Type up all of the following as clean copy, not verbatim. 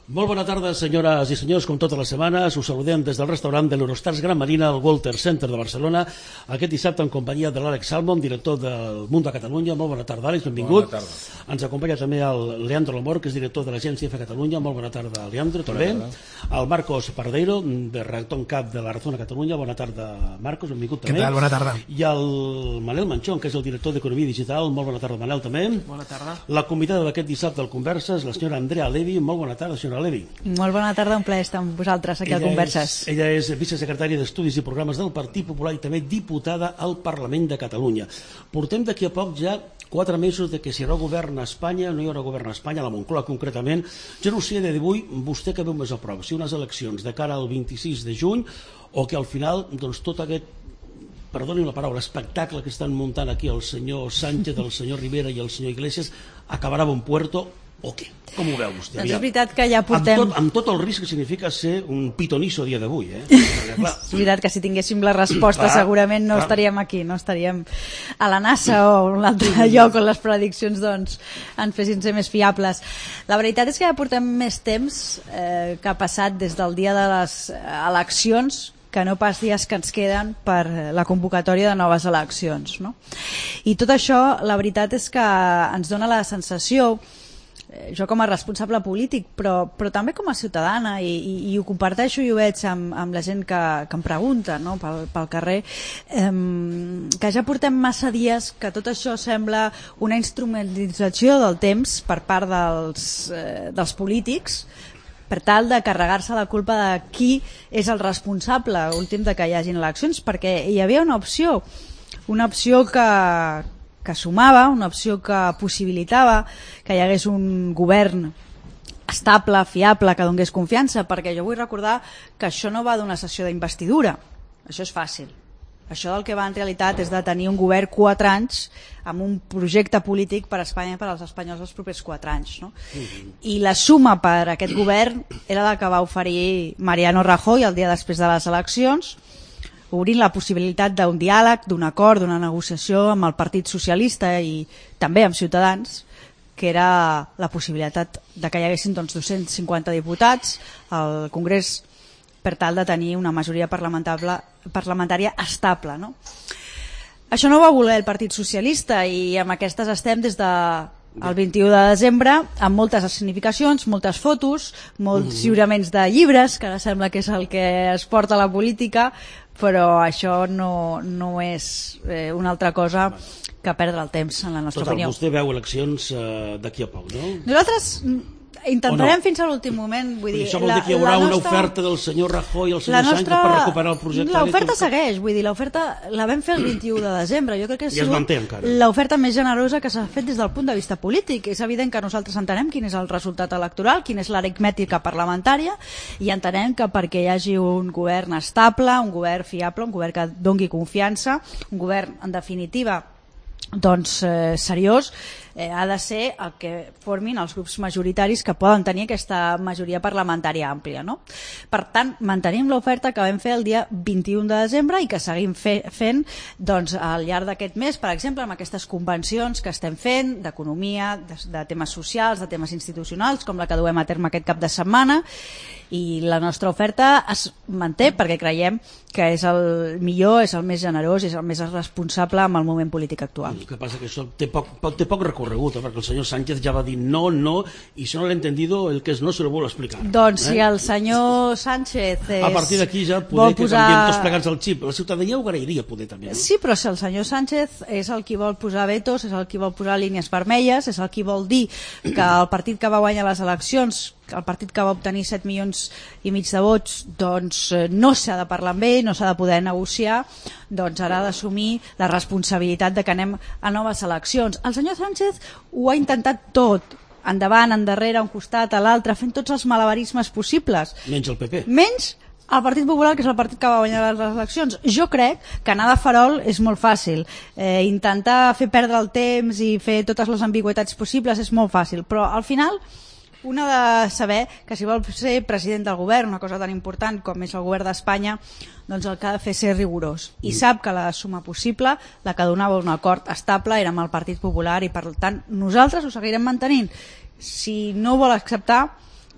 Molt bona tarda, senyores i senyors, com totes les setmanes. Us saludem des del restaurant de l'Eurostars Gran Marina al Walter Center de Barcelona, aquest dissabte en companyia de l'Àlex Salmon, director del Mundo a Catalunya. Molt bona tarda, Àlex, benvingut. Bona tarda. Ens acompanya també el Leandro Lamor, que és director de l'Agència F Catalunya. Molt bona tarda, Leandro, també. El Marcos Pardeiro, de redactor en cap de La Razón a Catalunya. Bona tarda, Marcos, benvingut també. Què tal? Bona tarda. I el Manel Manchón, que és el director d'Economia Digital. Molt bona tarda, Manel, també. Bona tarda. La convidada d'aquest dissabte al Converses, la senyora Andrea Levi. Molt bona tarda, senyora Levi. Molt bona tarda, un plaer estar amb vosaltres aquí al Converses. Ella és vicesecretària d'Estudis i Programes del Partit Popular i també diputada al Parlament de Catalunya. Portem d'aquí a poc ja 4 mesos de que si hi haurà govern a Espanya, no hi haurà govern a Espanya, a la Moncloa concretament. Jo no sé de d'avui, vostè que veu més a prop, si unes eleccions de cara al 26 de juny o que al final doncs, tot aquest, perdonin la paraula, espectacle que estan muntant aquí el senyor Sánchez, el senyor Rivera i el senyor Iglesias acabarà a bon puerto o què? Com ho veu vostè? Doncs és veritat que ja portem... Amb tot el risc que significa ser un pitonisso a dia d'avui, És veritat que si tinguéssim la resposta segurament no estaríem aquí, no estaríem a la NASA o a un altre lloc on les prediccions doncs, ens fessin ser més fiables. La veritat és que ja portem més temps que ha passat des del dia de les eleccions que no pas dies que ens queden per la convocatòria de noves eleccions, no? I tot això, la veritat és que ens dona la sensació, jo com a responsable polític, però també com a ciutadana, i ho comparteixo i ho veig amb la gent que em pregunta, no? pel carrer, que ja portem massa dies que tot això sembla una instrumentalització del temps per part dels polítics, per tal de carregar-se la culpa de qui és el responsable últim de que hi hagin eleccions, perquè hi havia una opció que sumava, una opció que possibilitava que hi hagués un govern estable, fiable, que donés confiança, perquè jo vull recordar que això no va d'una sessió d'investidura, això és fàcil. Això del que va en realitat és de tenir un govern 4 anys amb un projecte polític per a Espanya i per als espanyols els propers 4 anys. No? I la suma per a aquest govern era la que va oferir Mariano Rajoy el dia després de les eleccions, obrint la possibilitat d'un diàleg, d'un acord, d'una negociació amb el Partit Socialista i també amb Ciutadans, que era la possibilitat de que hi haguessin 250 diputats al Congrés per tal de tenir una majoria parlamentària estable. No? Això no ho va voler el Partit Socialista i amb aquestes estem des del 21 de desembre, amb moltes significacions, moltes fotos, molts lliuraments de llibres, que ara sembla que és el que es porta a la política, però això no és una altra cosa que perdre el temps, en la nostra opinió. Vostè veu eleccions d'aquí a poc, no? Nosaltres intentarem fins a l'últim moment. Vull dir, això vol dir que hi haurà una oferta del senyor Rajoy i el senyor Sánchez per recuperar el projecte? L'oferta segueix, vull dir, l'oferta la vam fer el 21 de desembre. Jo crec que es manté encara. L'oferta més generosa que s'ha fet des del punt de vista polític. És evident que nosaltres entenem quin és el resultat electoral, quina és l'aritmètica parlamentària, i entenem que perquè hi hagi un govern estable, un govern fiable, un govern que doni confiança, un govern, en definitiva, doncs seriós, ha de ser el que formin els grups majoritaris que poden tenir aquesta majoria parlamentària àmplia. No? Per tant, mantenim l'oferta que vam fer el dia 21 de desembre i que seguim fent doncs, al llarg d'aquest mes, per exemple, amb aquestes convencions que estem fent d'economia, de temes socials, de temes institucionals, com la que duem a terme aquest cap de setmana, i la nostra oferta es manté perquè creiem que és el millor, és el més generós, és el més responsable amb el moment polític actual. El que passa que això té poc recorregut, perquè el senyor Sánchez ja va dir no, i si no l'he entendido, el que és no se lo vuelvo a explicar. Doncs si el senyor Sánchez a partir d'aquí ja poder que canviem tots plegats el xip. La ciutadania ho agrairia poder també. No? Sí, però si el senyor Sánchez és el qui vol posar vetos, és el qui vol posar línies vermelles, és el qui vol dir que el partit que va guanyar les eleccions, el partit que va obtenir 7,5 milions de vots, doncs no s'ha de parlar amb ell, no s'ha de poder negociar, doncs ara ha d'assumir la responsabilitat de que anem a noves eleccions. El senyor Sánchez ho ha intentat tot, endavant, endarrere, a un costat, a l'altre, fent tots els malabarismes possibles. Menys el PP. Menys el Partit Popular, que és el partit que va guanyar les eleccions. Jo crec que anar de farol és molt fàcil. Intentar fer perdre el temps i fer totes les ambigüitats possibles és molt fàcil, però al final un ha de saber que si vol ser president del govern, una cosa tan important com és el govern d'Espanya, doncs el que ha de fer és ser rigorós. I sap que la suma possible, la que donava un acord estable, era amb el Partit Popular i per tant nosaltres ho seguirem mantenint. Si no ho vol acceptar,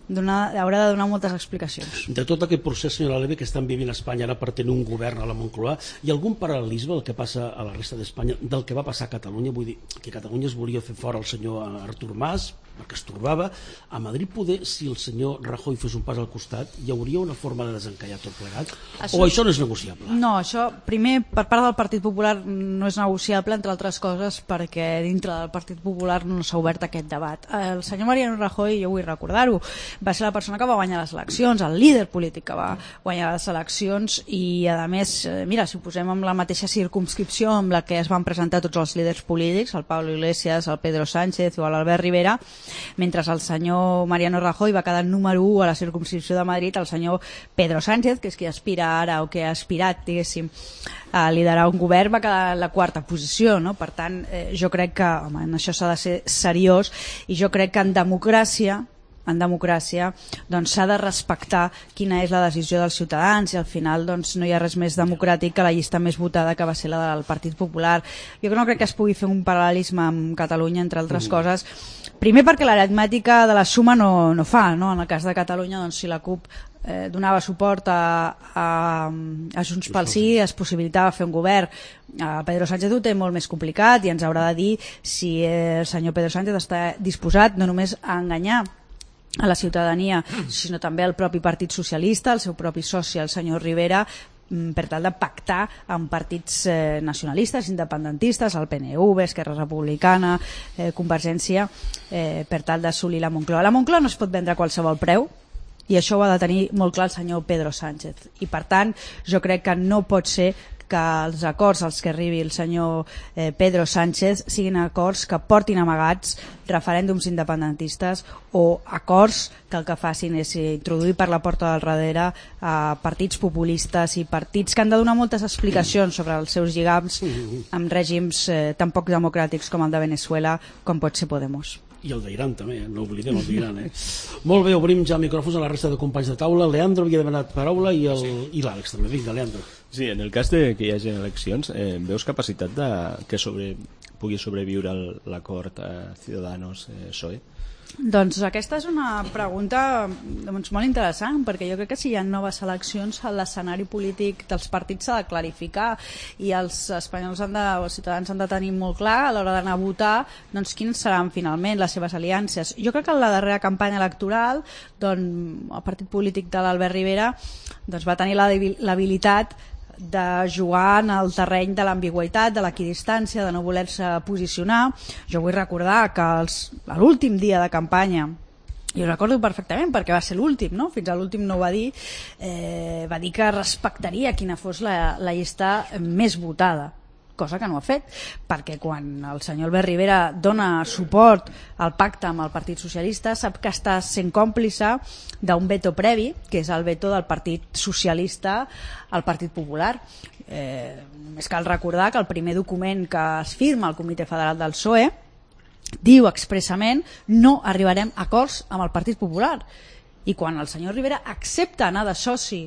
haurà de donar moltes explicacions. De tot aquest procés, senyora Leve, que estan vivint a Espanya ara per tenir un govern a la Moncloa, hi ha algun paral·lelisme del que passa a la resta d'Espanya del que va passar a Catalunya? Vull dir que a Catalunya es volia fer fora el senyor Artur Mas perquè es torbava. A Madrid, poder, si el senyor Rajoy fes un pas al costat, hi hauria una forma de desencallar tot plegat? O això no és negociable? No, això, primer, per part del Partit Popular no és negociable, entre altres coses, perquè dintre del Partit Popular no s'ha obert aquest debat. El senyor Mariano Rajoy, jo vull recordar-ho, va ser la persona que va guanyar les eleccions, el líder polític que va guanyar les eleccions, i a més, mira, si ho posem en la mateixa circumscripció amb la que es van presentar tots els líders polítics, el Pablo Iglesias, el Pedro Sánchez o l'Albert Rivera, mentre el senyor Mariano Rajoy va quedar número 1 a la circumscripció de Madrid, el senyor Pedro Sánchez, que és qui aspira ara o que ha aspirat, diguéssim, a liderar un govern, va quedar en la quarta posició, no? Per tant, jo crec que, home, en això s'ha de ser seriós, i jo crec que en democràcia doncs s'ha de respectar quina és la decisió dels ciutadans, i al final doncs no hi ha res més democràtic que la llista més votada, que va ser la del Partit Popular. Jo no crec que es pugui fer un paral·lelisme amb Catalunya, entre altres coses, primer perquè l'aritmètica de la suma no fa, no? En el cas de Catalunya, doncs, si la CUP donava suport a Junts pel Sí, es possibilitava fer un govern. Pedro Sánchez ho té molt més complicat i ens haurà de dir si el senyor Pedro Sánchez està disposat no només a enganyar a la ciutadania, sinó també al propi Partit Socialista, el seu propi soci, el senyor Rivera, per tal de pactar amb partits nacionalistes, independentistes, el PNV, Esquerra Republicana, Convergència, per tal d'assolir la Moncloa. La Moncloa no es pot vendre a qualsevol preu, i això ho ha de tenir molt clar el senyor Pedro Sánchez, i per tant jo crec que no pot ser que els acords als que arribi el senyor Pedro Sánchez siguin acords que portin amagats referèndums independentistes o acords que el que facin és introduir per la porta del darrere partits populistes i partits que han de donar moltes explicacions sobre els seus lligams amb règims tan poc democràtics com el de Venezuela, com pot ser Podemos. I el d'Iran també, no oblidem el d'Iran. Molt bé, obrim ja micròfons a la resta de companys de taula. Leandro havia demanat paraula i l'Àlex també. Vinga, Leandro. Sí, en el cas de que hi hagi eleccions, veus capacitat de que pugui sobreviure l'acord Ciudadanos-PSOE? Doncs aquesta és una pregunta molt interessant, perquè jo crec que si hi ha noves eleccions l'escenari polític dels partits s'ha de clarificar i els espanyols els ciutadans han de tenir molt clar a l'hora d'anar a votar doncs quines seran finalment les seves aliances. Jo crec que en la darrera campanya electoral doncs, el partit polític de l'Albert Rivera doncs, va tenir l'habilitat de jugar en el terreny de l'ambigüitat, de l'equidistància, de no voler-se posicionar. Jo vull recordar que a l'últim dia de campanya, jo ho recordo perfectament perquè va ser l'últim, no? Fins a l'últim no ho va dir, va dir que respectaria quina fos la llista més votada, cosa que no ha fet, perquè quan el senyor Albert Rivera dona suport al pacte amb el Partit Socialista sap que està sent còmplice d'un veto previ, que és el veto del Partit Socialista al Partit Popular. Només cal recordar que el primer document que es firma al Comitè Federal del PSOE diu expressament no arribarem a acords amb el Partit Popular, i quan el senyor Rivera accepta anar de soci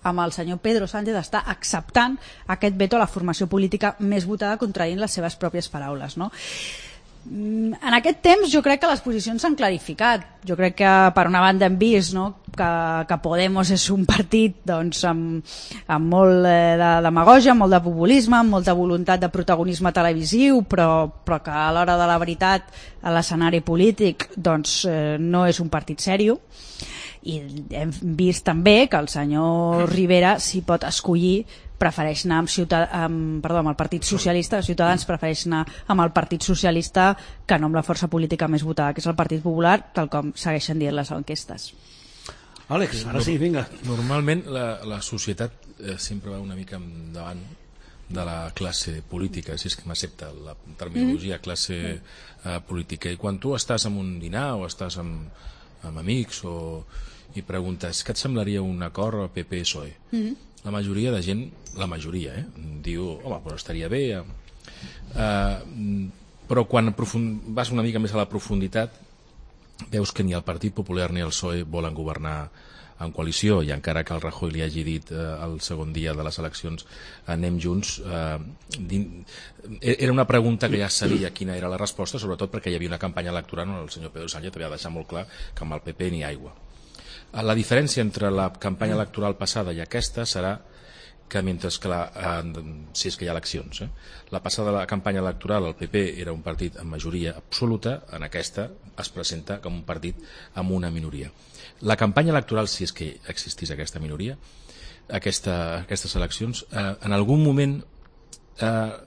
amb el senyor Pedro Sánchez està acceptant aquest veto a la formació política més votada, contradient les seves pròpies paraules, no? En aquest temps jo crec que les posicions s'han clarificat. Jo crec que per una banda hem vist, no, que Podemos és un partit doncs, amb molt de demagògia, molt de populisme, amb molta voluntat de protagonisme televisiu, però que a l'hora de la veritat a l'escenari polític doncs, no és un partit seriós. I hem vist també que el senyor Rivera, si pot escollir, prefereix anar amb el Partit Socialista. Ciutadans prefereix anar amb el Partit Socialista que no amb la força política més votada, que és el Partit Popular, tal com segueixen dient les enquestes. Àlex, ara sí, vinga. Normalment la societat sempre va una mica endavant de la classe política, si és que m'accepta la terminologia classe política, i quan tu estàs en un dinar o estàs amb amics i preguntes què et semblaria un acord PP-PSOE, la majoria de gent, diu, home, però estaria bé, però quan vas una mica més a la profunditat veus que ni el Partit Popular ni el PSOE volen governar en coalició, i encara que el Rajoy li hagi dit el segon dia de les eleccions anem junts, era una pregunta que ja sabia quina era la resposta, sobretot perquè hi havia una campanya electoral on el senyor Pedro Sánchez havia deixat molt clar que amb el PP ni aigua. La diferència entre la campanya electoral passada i aquesta serà que mentre que si és que hi ha eleccions, la passada la campanya electoral el PP era un partit amb majoria absoluta, en aquesta es presenta com un partit amb una minoria. La campanya electoral, si és que existís aquesta minoria, aquestes eleccions, en algun moment,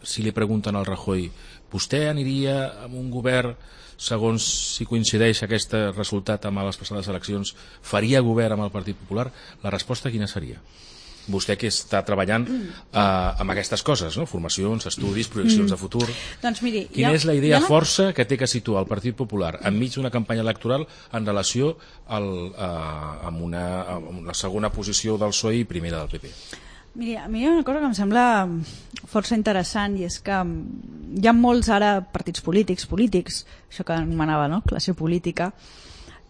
si li pregunten al Rajoy, vostè aniria amb un govern segons si coincideix aquest resultat amb les passades eleccions, faria govern amb el Partit Popular? La resposta quina seria? Vostè que està treballant amb aquestes coses, no? Formacions, estudis, projeccions de futur. Doncs miri, quina és la idea força que té que situar el Partit Popular enmig d'una campanya electoral en relació amb la segona posició del PSOE i primera del PP? Miri, a mi hi ha una cosa que em sembla força interessant, i és que hi ha molts ara partits polítics, això que anomenava, no? Classe política,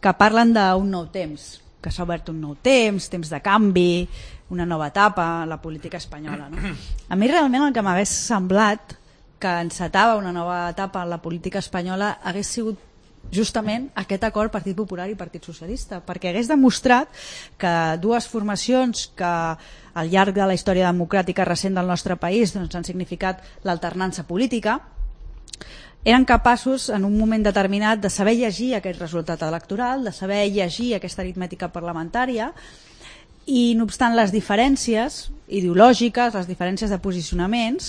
que parlen d'un nou temps, que s'ha obert un nou temps de canvi, una nova etapa a la política espanyola, no? A mi realment el que m'hagués semblat que encetava una nova etapa en la política espanyola hagués sigut justament aquest acord Partit Popular i Partit Socialista, perquè hagués demostrat que dues formacions que al llarg de la història democràtica recent del nostre país doncs, han significat l'alternança política, eren capaços en un moment determinat de saber llegir aquest resultat electoral, de saber llegir aquesta aritmètica parlamentària, i no obstant les diferències ideològiques, les diferències de posicionaments,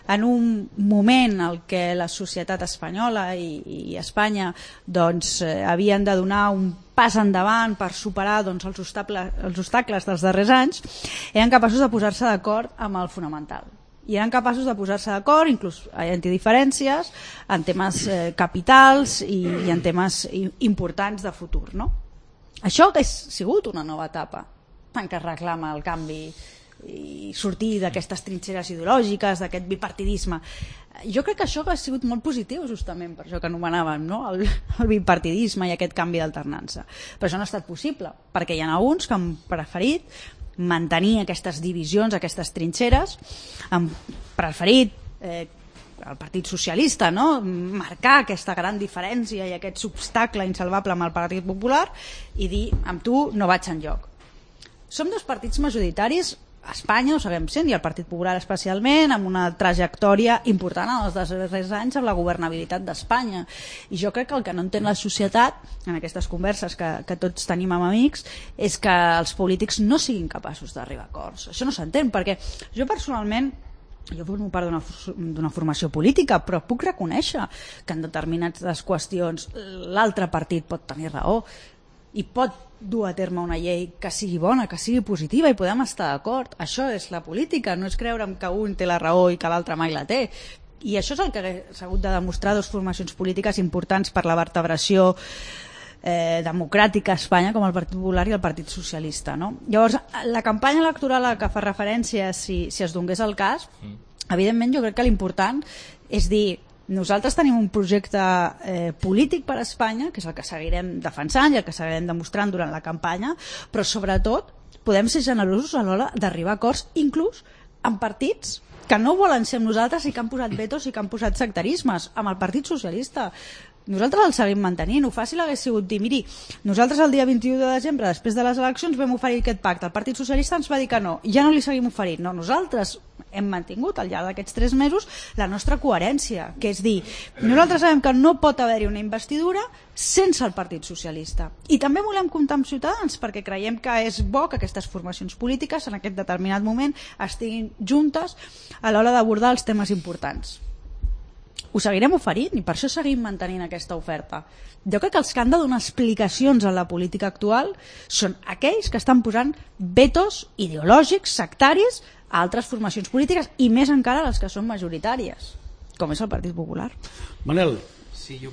en un moment en què la societat espanyola i Espanya doncs, havien de donar un pas endavant per superar doncs, els obstacles dels darrers anys, eren capaços de posar-se d'acord amb el fonamental. I eren capaços de posar-se d'acord, inclús entre diferències, en temes capitals i en temes importants de futur. No? Això hauria sigut una nova etapa en què es reclama el canvi i sortir d'aquestes trinxeres ideològiques, d'aquest bipartidisme. Jo crec que això ha sigut molt positiu justament per això que anomenàvem, no? el bipartidisme i aquest canvi d'alternança. Però això no ha estat possible, perquè hi ha alguns que han preferit mantenir aquestes divisions, aquestes trinxeres, han preferit el Partit Socialista, no? Marcar aquesta gran diferència i aquest obstacle insalvable amb el Partit Popular i dir, amb tu no vaig enlloc. Som dos partits majoritaris a Espanya, ho sabem sent, i el Partit Popular especialment, amb una trajectòria important en els darrers anys amb la governabilitat d'Espanya. I jo crec que el que no entén la societat, en aquestes converses que tots tenim amb amics, és que els polítics no siguin capaços d'arribar a acords. Això no s'entén, perquè jo personalment formo part d'una formació política, però puc reconèixer que en determinades qüestions l'altre partit pot tenir raó i pot dur a terme una llei que sigui bona, que sigui positiva, i podem estar d'acord. Això és la política, no és creure'm que un té la raó i que l'altre mai la té. I això és el que s'ha hagut de demostrar dues formacions polítiques importants per la vertebració democràtica a Espanya, com el Partit Popular i el Partit Socialista. No? Llavors, la campanya electoral a la que fa referència, si es donés el cas, evidentment jo crec que l'important és dir, nosaltres tenim un projecte polític per a Espanya, que és el que seguirem defensant i el que seguirem demostrant durant la campanya, però sobretot podem ser generosos a l'hora d'arribar a acords, inclús amb partits que no volen ser amb nosaltres i que han posat vetos i que han posat sectarismes, amb el Partit Socialista. Nosaltres el seguim mantenint. Ho fàcil hagués sigut dir, miri, nosaltres el dia 21 de desembre, després de les eleccions, vam oferir aquest pacte. El Partit Socialista ens va dir que no, i ja no li seguim oferint. No, nosaltres hem mantingut al llarg d'aquests 3 mesos la nostra coherència, que és dir, nosaltres sabem que no pot haver-hi una investidura sense el Partit Socialista. I també volem comptar amb Ciutadans, perquè creiem que és bo que aquestes formacions polítiques en aquest determinat moment estiguin juntes a l'hora d'abordar els temes importants. Ho seguirem oferint i per això seguim mantenint aquesta oferta. Jo crec que els que han de donar explicacions a la política actual són aquells que estan posant vetos ideològics, sectaris, a altres formacions polítiques i més encara les que són majoritàries, com és el Partit Popular. Manel. Sí, jo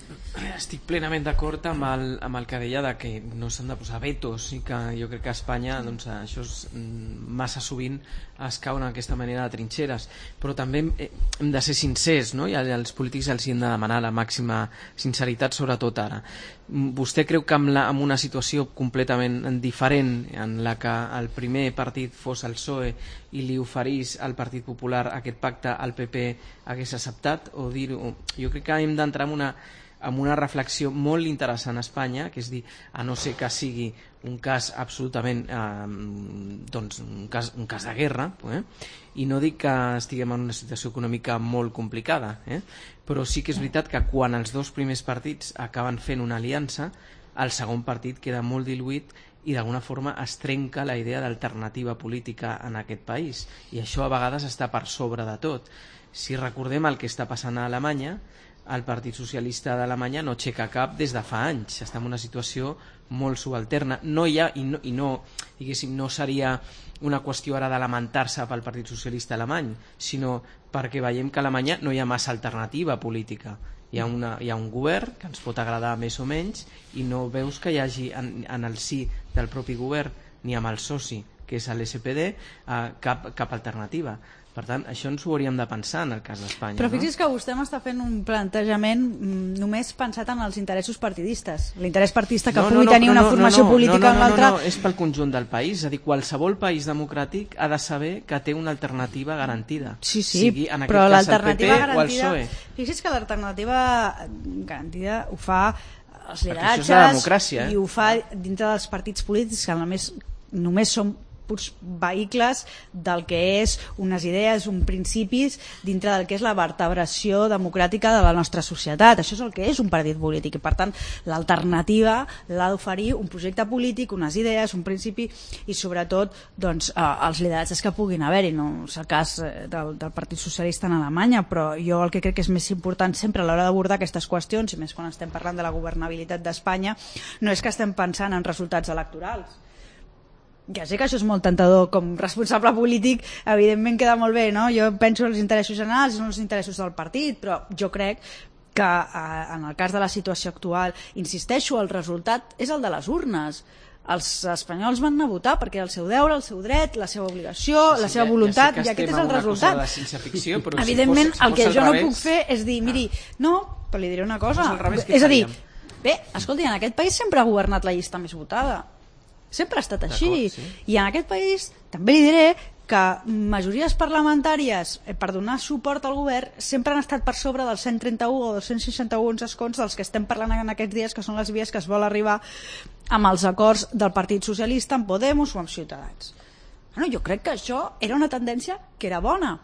estic plenament d'acord amb el que deia de que no s'han de posar vetos i que jo crec que a Espanya doncs, això és, massa sovint es cau en aquesta manera de trinxeres, però també hem de ser sincers, no? I als polítics els hem de demanar la màxima sinceritat, sobretot ara. Vostè creu que amb una situació completament diferent en la que el primer partit fos el PSOE i li oferís al Partit Popular aquest pacte, el PP hagués acceptat? O dir-ho? Jo crec que hem d'entrar en una reflexió molt interessant a Espanya, que és dir, a no ser que sigui un cas absolutament doncs un cas de guerra, i no dic que estiguem en una situació econòmica molt complicada, però sí que és veritat que quan els dos primers partits acaben fent una aliança, el segon partit queda molt diluït i d'alguna forma es trenca la idea d'alternativa política en aquest país, i això a vegades està per sobre de tot. Si recordem el que està passant a Alemanya, el Partit Socialista d'Alemanya no aixeca cap des de fa anys, està en una situació molt subalterna. No hi ha, diguéssim, no seria una qüestió ara de lamentar-se pel Partit Socialista alemany, sinó perquè veiem que a Alemanya no hi ha massa alternativa política. Hi ha un govern que ens pot agradar més o menys i no veus que hi hagi en el si del propi govern ni amb el soci, que és l'SPD, cap alternativa. Per tant, això ens ho hauríem de pensar en el cas d'Espanya. Però fixi's que vostè m'està fent un plantejament només pensat en els interessos partidistes. L'interès partidista que pugui tenir una formació política en l'altra... No, és pel conjunt del país. És a dir, qualsevol país democràtic ha de saber que té una alternativa garantida. Sí, sigui en però aquest cas el PP garantida, o el PSOE. Fixi's que l'alternativa garantida ho fa els lideratges de democràcia, i ho fa dintre dels partits polítics que només són purs vehicles del que és unes idees, uns principis dintre del que és la vertebració democràtica de la nostra societat. Això és el que és un partit polític i per tant l'alternativa l'ha d'oferir un projecte polític, unes idees, un principi i sobretot doncs, els lideratges que puguin haver-hi. No és el cas del Partit Socialista en Alemanya, però jo el que crec que és més important sempre a l'hora d'abordar aquestes qüestions, i més quan estem parlant de la governabilitat d'Espanya, no és que estem pensant en resultats electorals. Ja sé que això és molt tentador com responsable polític, evidentment queda molt bé, no? Jo penso en els interessos generals i no els interessos del partit, però jo crec que en el cas de la situació actual, insisteixo, el resultat és el de les urnes. Els espanyols van anar a votar perquè el seu deure, el seu dret, la seva obligació, la seva voluntat, i aquest és el resultat. Evidentment, el que jo no puc fer és dir, miri, no, però li diré una cosa, és a dir, bé, escolti, en aquest país sempre ha governat la llista més votada. Sempre ha estat així. Sí. I en aquest país també li diré que majories parlamentàries per donar suport al govern sempre han estat per sobre dels 131 o 261 escons dels que estem parlant en aquests dies, que són les vies que es vol arribar amb els acords del Partit Socialista amb Podemos o amb Ciutadans. Bueno, jo crec que això era una tendència que era bona.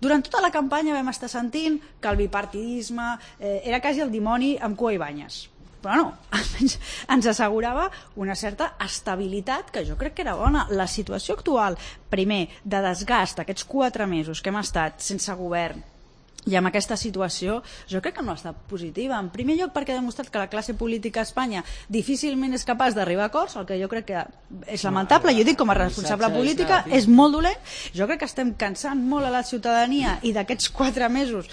Durant tota la campanya vam estar sentint que el bipartidisme era quasi el dimoni amb cua i banyes. Però no, ens assegurava una certa estabilitat que jo crec que era bona. La situació actual, primer, de desgast, aquests 4 mesos que hem estat sense govern i amb aquesta situació, jo crec que no ha estat positiva. En primer lloc perquè ha demostrat que la classe política a Espanya difícilment és capaç d'arribar a acords, el que jo crec que és lamentable. Jo dic com a responsable política, és molt dolent. Jo crec que estem cansant molt a la ciutadania i d'aquests 4 mesos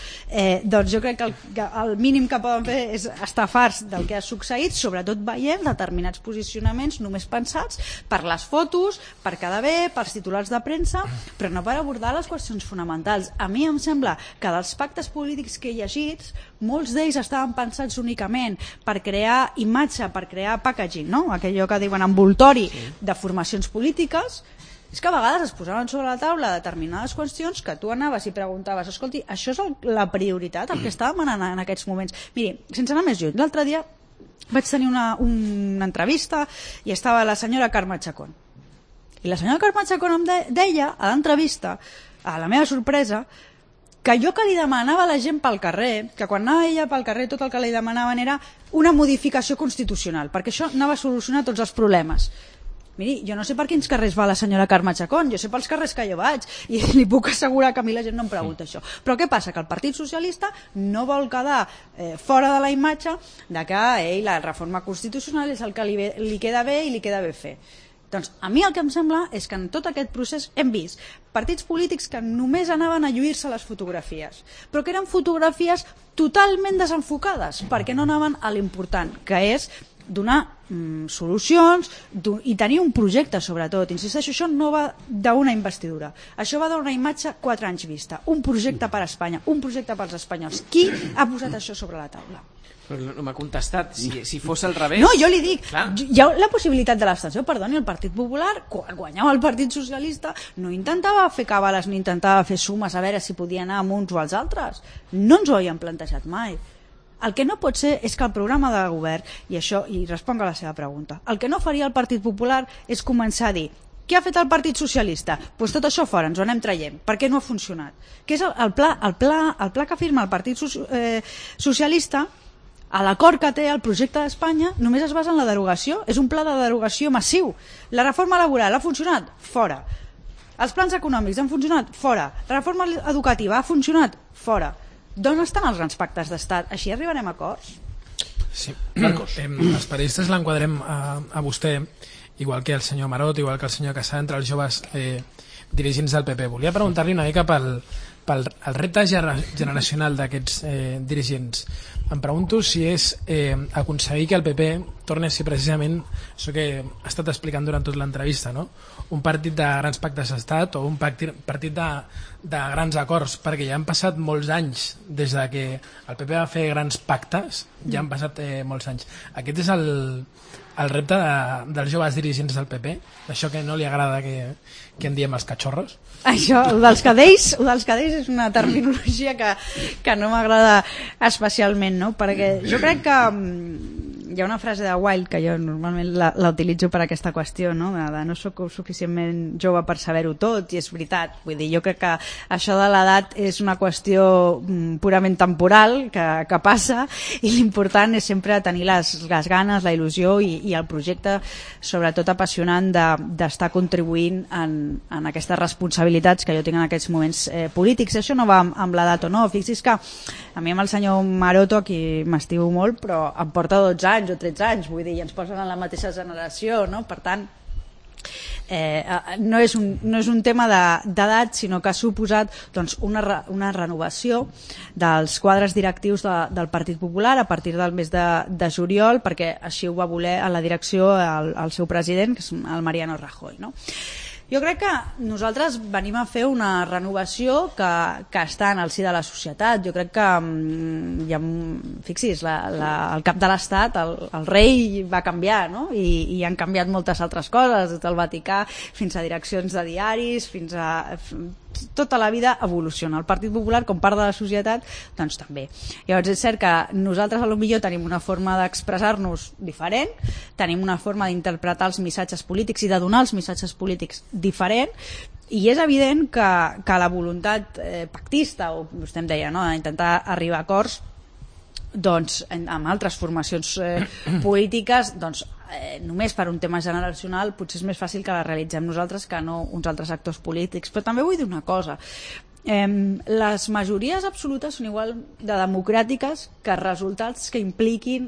doncs jo crec que el mínim que poden fer és estar farts del que ha succeït, sobretot veient determinats posicionaments només pensats per les fotos, per quedar bé, pels titulars de premsa, però no per abordar les qüestions fonamentals. A mi em sembla que dels pactes polítics que he llegit, molts d'ells estaven pensats únicament per crear imatge, per crear packaging, no? Aquello que diuen envoltori de formacions polítiques. És que a vegades es posaven sobre la taula determinades qüestions que tu anaves i preguntaves, escolti, això és la prioritat, el que està demanant en aquests moments. Miri, sense anar més lluny, l'altre dia vaig tenir una entrevista i estava la senyora Carme Chacón. I la senyora Carme Chacón em deia a l'entrevista, a la meva sorpresa, que jo que li demanava a la gent pel carrer, que quan anava ella pel carrer tot el que li demanaven era una modificació constitucional, perquè això anava a solucionar tots els problemes. Miri, jo no sé per quins carrers va la senyora Carme Chacón, jo sé pels carrers que jo vaig, i li puc assegurar que a mi la gent no em pregunta això. Però què passa? Que el Partit Socialista no vol quedar fora de la imatge de que la reforma constitucional és el que li queda bé i li queda bé fer. Doncs a mi el que em sembla és que en tot aquest procés hem vist partits polítics que només anaven a lluir-se les fotografies, però que eren fotografies totalment desenfocades, perquè no anaven a l'important, que és donar solucions i tenir un projecte, sobretot. Insisteixo, això no va d'una investidura, això va d'una imatge 4 anys vista, un projecte per a Espanya, un projecte pels espanyols. Qui ha posat això sobre la taula? Però no m'ha contestat. Si fos al revés... No, jo li dic, hi ha la possibilitat de l'abstenció, perdoni, el Partit Popular, quan guanyava el Partit Socialista, no intentava fer cabales ni intentava fer sumes a veure si podia anar amb uns o als altres. No ens ho havien plantejat mai. El que no pot ser és que el programa de govern, i responc a la seva pregunta, el que no faria el Partit Popular és començar a dir què ha fet el Partit Socialista? Doncs tot això fora, ens ho anem traient. Per què no ha funcionat? Que és el pla que firma el Partit Socialista, a l'acord que té el projecte d'Espanya, només es basa en la derogació. És un pla de derogació massiu. La reforma laboral ha funcionat? Fora. Els plans econòmics han funcionat? Fora. La reforma educativa ha funcionat? Fora. D'on estan els grans pactes d'estat? Així arribarem a acords? Sí. Els periodistes l'enquadrem a vostè, igual que el senyor Marot, igual que el senyor Casà, entre els joves dirigents del PP. Volia preguntar-li una mica pel repte generacional d'aquests dirigents. Em pregunto si és aconseguir que el PP torni a ser precisament això que ha estat explicant durant tota l'entrevista, no? Un partit de grans pactes d'estat o un partit de grans acords, perquè ja han passat molts anys des de que el PP va fer grans pactes, ja han passat molts anys. Aquest és el repte dels joves dirigents del PP, això que no li agrada que en diem els cachorros. Això, el dels cadells és una terminologia que no m'agrada especialment, no? Perquè jo crec que hi ha una frase de Wilde que jo normalment la utilitzo per aquesta qüestió, no? De no soc suficientment jove per saber-ho tot, i és veritat. Vull dir, jo crec que això de l'edat és una qüestió purament temporal que passa, i l'important és sempre tenir les ganes, la il·lusió i el projecte, sobretot apassionant, d'estar contribuint en aquestes responsabilitats que jo tinc en aquests moments polítics. Això no va amb l'edat o no. Fixi's que a mi amb el senyor Maroto, qui m'estimo molt, però em porta 12 anys o 13 anys, vull dir, i ens posen en la mateixa generació, no? Per tant, no és un tema d'edat, sinó que ha suposat doncs, una renovació dels quadres directius del Partit Popular a partir del mes de juliol, perquè així ho va voler a la direcció el seu president, que és el Mariano Rajoy, no? Jo crec que nosaltres venim a fer una renovació que està en el si de la societat. Jo crec que, fixis, el cap de l'Estat, el rei va canviar, no? I han canviat moltes altres coses, des del Vaticà fins a direccions de diaris, fins a... tota la vida evoluciona. El Partit Popular, com part de la societat, doncs també. Llavors és cert que nosaltres potser tenim una forma d'expressar-nos diferent, tenim una forma d'interpretar els missatges polítics i de donar els missatges polítics diferent, i és evident que la voluntat pactista, o vostè em deia, no?, d'intentar arribar a acords doncs, amb altres formacions polítiques, doncs només per un tema generacional potser és més fàcil que la realitzem nosaltres que no uns altres actors polítics. Però també vull dir una cosa, les majories absolutes són igual de democràtiques que resultats que impliquin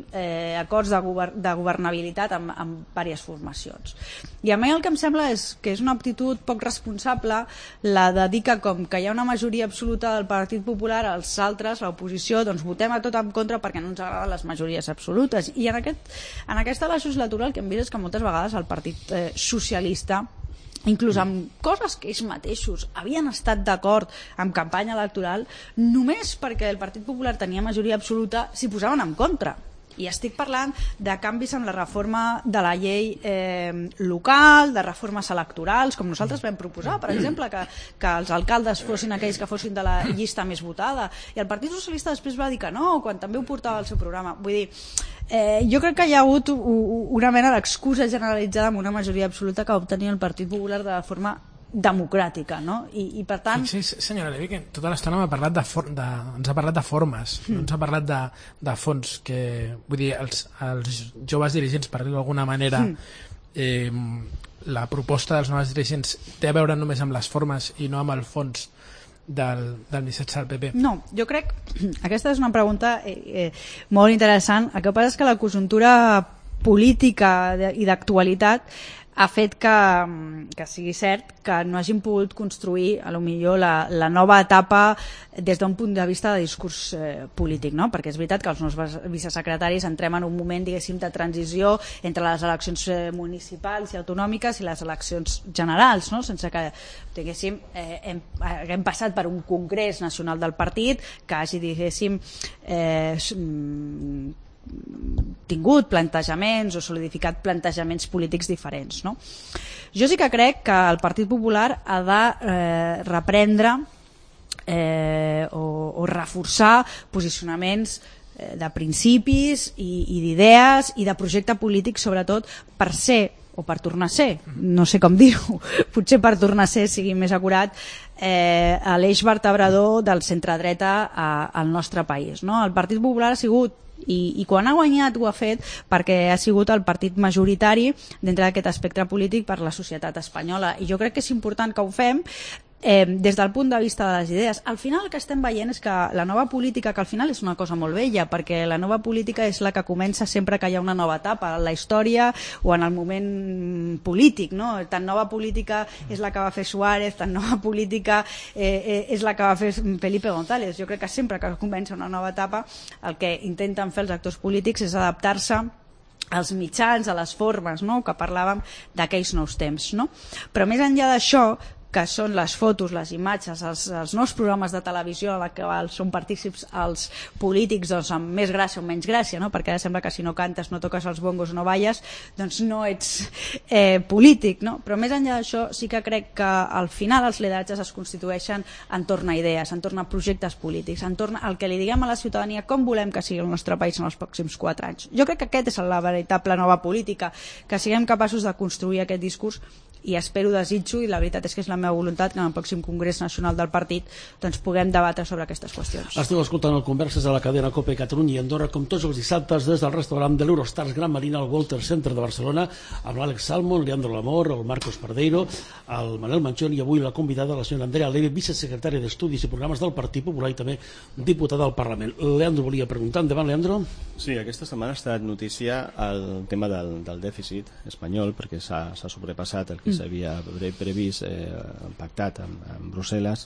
acords de governabilitat amb diverses formacions. I a mi el que em sembla és que és una actitud poc responsable la de dir que com que hi ha una majoria absoluta del Partit Popular, els altres, l'oposició, doncs votem a tot en contra perquè no ens agraden les majories absolutes. I en aquesta legislatura el que hem vist és que moltes vegades el Partit Socialista, inclús amb coses que ells mateixos havien estat d'acord amb campanya electoral, només perquè el Partit Popular tenia majoria absoluta s'hi posaven en contra. I estic parlant de canvis en la reforma de la llei local, de reformes electorals, com nosaltres vam proposar, per exemple, que els alcaldes fossin aquells que fossin de la llista més votada, i el Partit Socialista després va dir que no, quan també ho portava al seu programa. Vull dir, jo crec que hi ha hagut una mena d'excusa generalitzada amb una majoria absoluta que va obtenir el Partit Popular de forma democràtica, no? I per tant... Sí, senyora Levy, que tota l'estona ens ha parlat de formes, no ens ha parlat de fons, que vull dir, els joves dirigents, per dir-ho d'alguna manera, la proposta dels nous dirigents té a veure només amb les formes i no amb el fons del missatge del PP? No, jo crec... Aquesta és una pregunta molt interessant. El que passa és que la conjuntura política i d'actualitat ha fet que sigui cert que no hagin pogut construir a lo millor la nova etapa des d'un punt de vista de discurs polític, no? Perquè és veritat que els nous vicesecretaris entrem en un moment, diguéssim, de transició entre les eleccions municipals i autonòmiques i les eleccions generals, no? Sense que, diguéssim, haguem passat per un congrés nacional del partit que hagi, diguéssim, tingut plantejaments o solidificat plantejaments polítics diferents, no? Jo sí que crec que el Partit Popular ha de reprendre o reforçar posicionaments de principis i d'idees i de projecte polític, sobretot per ser o per tornar a ser, no sé com dir-ho, potser per tornar a ser sigui més acurat, l'eix vertebrador del centre-dreta al nostre país, no? El Partit Popular ha sigut, i quan ha guanyat ho ha fet perquè ha sigut el partit majoritari dintre d'aquest espectre polític per la societat espanyola, i jo crec que és important que ho fem des del punt de vista de les idees. Al final el que estem veient és que la nova política, que al final és una cosa molt vella, perquè la nova política és la que comença sempre que hi ha una nova etapa en la història o en el moment polític, no? Tan nova política és la que va fer Suárez, tan nova política és la que va fer Felipe González. Jo crec que sempre que comença una nova etapa el que intenten fer els actors polítics és adaptar-se als mitjans, a les formes, no? Que parlàvem d'aquells nous temps, no? Però més enllà d'això, que són les fotos, les imatges, els nous programes de televisió en què són partícips els polítics, doncs, amb més gràcia o menys gràcia, no? Perquè sembla que si no cantes, no toques els bongos, no balles, doncs no ets polític, no? Però més enllà d'això sí que crec que al final els lideratges es constitueixen entorn a idees, entorn a projectes polítics, entorn al que li diguem a la ciutadania com volem que sigui el nostre país en els pròxims 4 anys. Jo crec que aquest és la veritable nova política, que siguem capaços de construir aquest discurs, i espero, desitjo, i la veritat és que és la meva voluntat, que en el pròxim Congrés Nacional del Partit doncs puguem debatre sobre aquestes qüestions. Esteu escoltant el Converses de la cadena COPE Catalunya i Andorra, com tots els dissabtes des del restaurant de l'Eurostars Gran Marina al Walter Center de Barcelona, amb l'Àlex Salmon, Leandro Lamor, el Marcos Pardeiro, el Manel Manchón, i avui la convidada, la senyora Andrea Leve, vicesecretària d'Estudis i Programes del Partit Popular i també diputada al Parlament. Leandro volia preguntar. Endavant, Leandro. Sí, aquesta setmana ha estat notícia el tema del dèficit espanyol, perquè s'ha sobrepassat el que s'havia previst, pactat amb Brussel·les.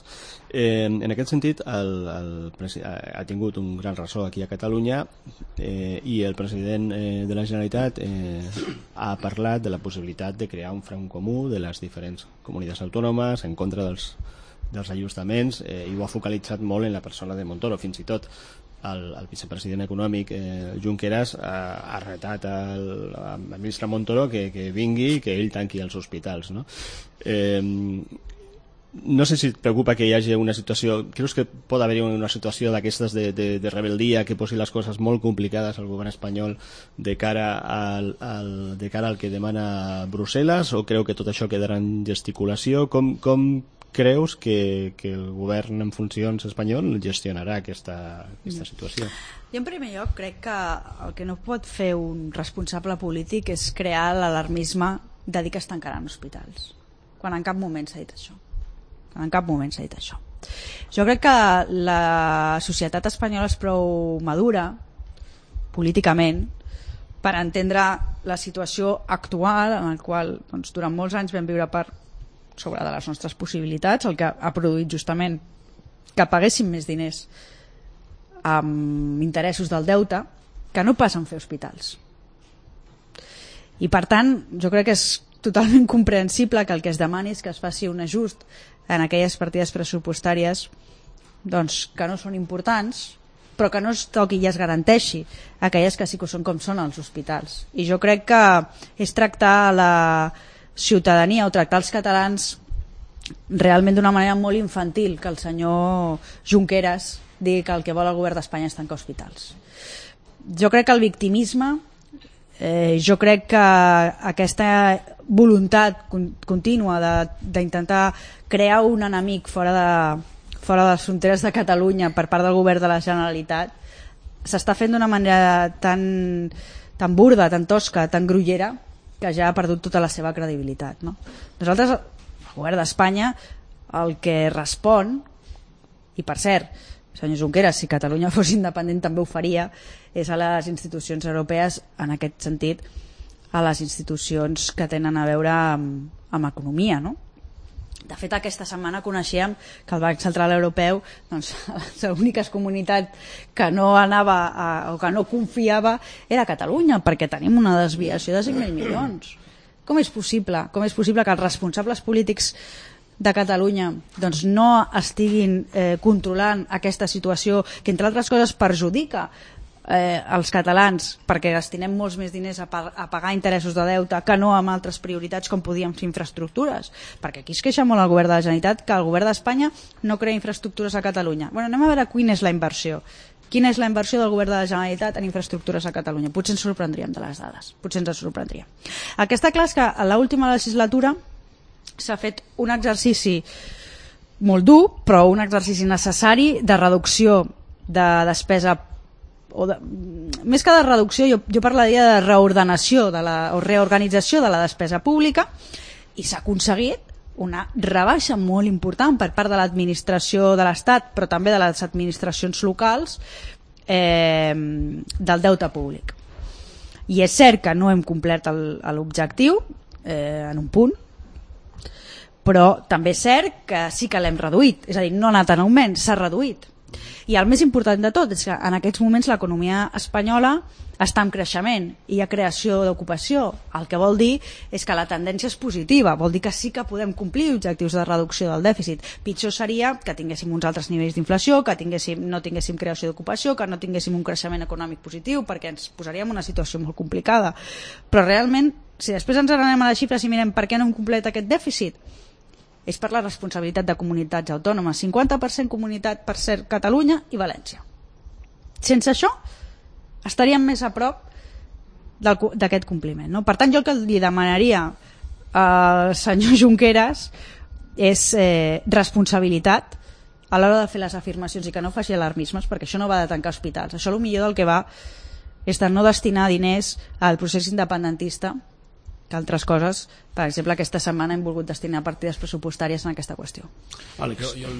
En aquest sentit, ha tingut un gran ressò aquí a Catalunya, i el president de la Generalitat ha parlat de la possibilitat de crear un front comú de les diferents comunitats autònomes en contra dels ajustaments, i ho ha focalitzat molt en la persona de Montoro. Fins i tot el vicepresident econòmic Junqueras ha retat al ministre Montoro que vingui i que ell tanqui els hospitals, no? No sé si et preocupa que hi hagi una situació, creus que pot haver-hi una situació d'aquestes de rebeldia que posi les coses molt complicades al govern espanyol de cara al que demana Brussel·les, o creu que tot això quedarà en gesticulació? Com creus que el govern en funcions espanyol gestionarà aquesta situació? Jo en primer lloc crec que el que no pot fer un responsable polític és crear l'alarmisme de dir que es tancaran hospitals, quan en cap moment s'ha dit això. Jo crec que la societat espanyola és prou madura políticament per entendre la situació actual en la qual doncs, durant molts anys vam viure per sobre de les nostres possibilitats, el que ha produït justament que paguéssim més diners amb interessos del deute que no pas en fer hospitals. I per tant, jo crec que és totalment comprensible que el que es demani és que es faci un ajust en aquelles partides pressupostàries doncs, que no són importants, però que no es toqui i es garanteixi aquelles que sí que són com són els hospitals. I jo crec que és tractar la ciutadania o tractar els catalans realment d'una manera molt infantil que el senyor Junqueras digui que el que vol el govern d'Espanya és tancar hospitals. Jo crec que el victimisme, jo crec que aquesta voluntat contínua d'intentar crear un enemic fora de les fronteres de Catalunya per part del govern de la Generalitat s'està fent d'una manera tan burda, tan tosca, tan grollera, que ja ha perdut tota la seva credibilitat, no? Nosaltres, el govern d'Espanya, el que respon, i per cert, senyor Junqueras, si Catalunya fos independent també ho faria, és a les institucions europees, en aquest sentit, a les institucions que tenen a veure amb economia, no? De fet, aquesta setmana coneixíem que el Banc Central Europeu, doncs, l'única comunitat que no anava o que no confiava era Catalunya, perquè tenim una desviació de 5.000 milions. Com és possible? Com és possible que els responsables polítics de Catalunya doncs, no estiguin controlant aquesta situació que, entre altres coses, perjudica els catalans, perquè destinem molts més diners a pagar interessos de deute que no amb altres prioritats com podíem fer infraestructures, perquè aquí es queixa molt el govern de la Generalitat que el govern d'Espanya no crea infraestructures a Catalunya. Bueno, anem a veure quina és la inversió quina és la inversió del govern de la Generalitat en infraestructures a Catalunya? Potser ens sorprendríem de les dades, potser ens sorprendria. El que està clar és que a l'última legislatura s'ha fet un exercici molt dur, però un exercici necessari de reducció de despesa, més que de reducció, jo parlaria de reordenació o reorganització de la despesa pública, i s'ha aconseguit una rebaixa molt important per part de l'administració de l'Estat, però també de les administracions locals, del deute públic. I és cert que no hem complert l'objectiu en un punt, però també és cert que sí que l'hem reduït, és a dir, no ha anat en augment, s'ha reduït. I el més important de tot és que en aquests moments l'economia espanyola està en creixement i hi ha creació d'ocupació. El que vol dir és que la tendència és positiva, vol dir que sí que podem complir objectius de reducció del dèficit. Pitjor seria que tinguéssim uns altres nivells d'inflació, que no tinguéssim creació d'ocupació, que no tinguéssim un creixement econòmic positiu, perquè ens posaríem en una situació molt complicada. Però realment, si després ens anem a les xifres i mirem per què no hem complet aquest dèficit, és per la responsabilitat de comunitats autònomes. 50% comunitat, per cert, Catalunya i València. Sense això, estaríem més a prop d'aquest compliment. No? Per tant, jo el que li demanaria al senyor Junqueras és responsabilitat a l'hora de fer les afirmacions i que no faci alarmismes, perquè això no va de tancar hospitals. Això potser del que va és de no destinar diners al procés independentista, que altres coses, per exemple, aquesta setmana hem volgut destinar partides pressupostàries en aquesta qüestió. Àlex. Jo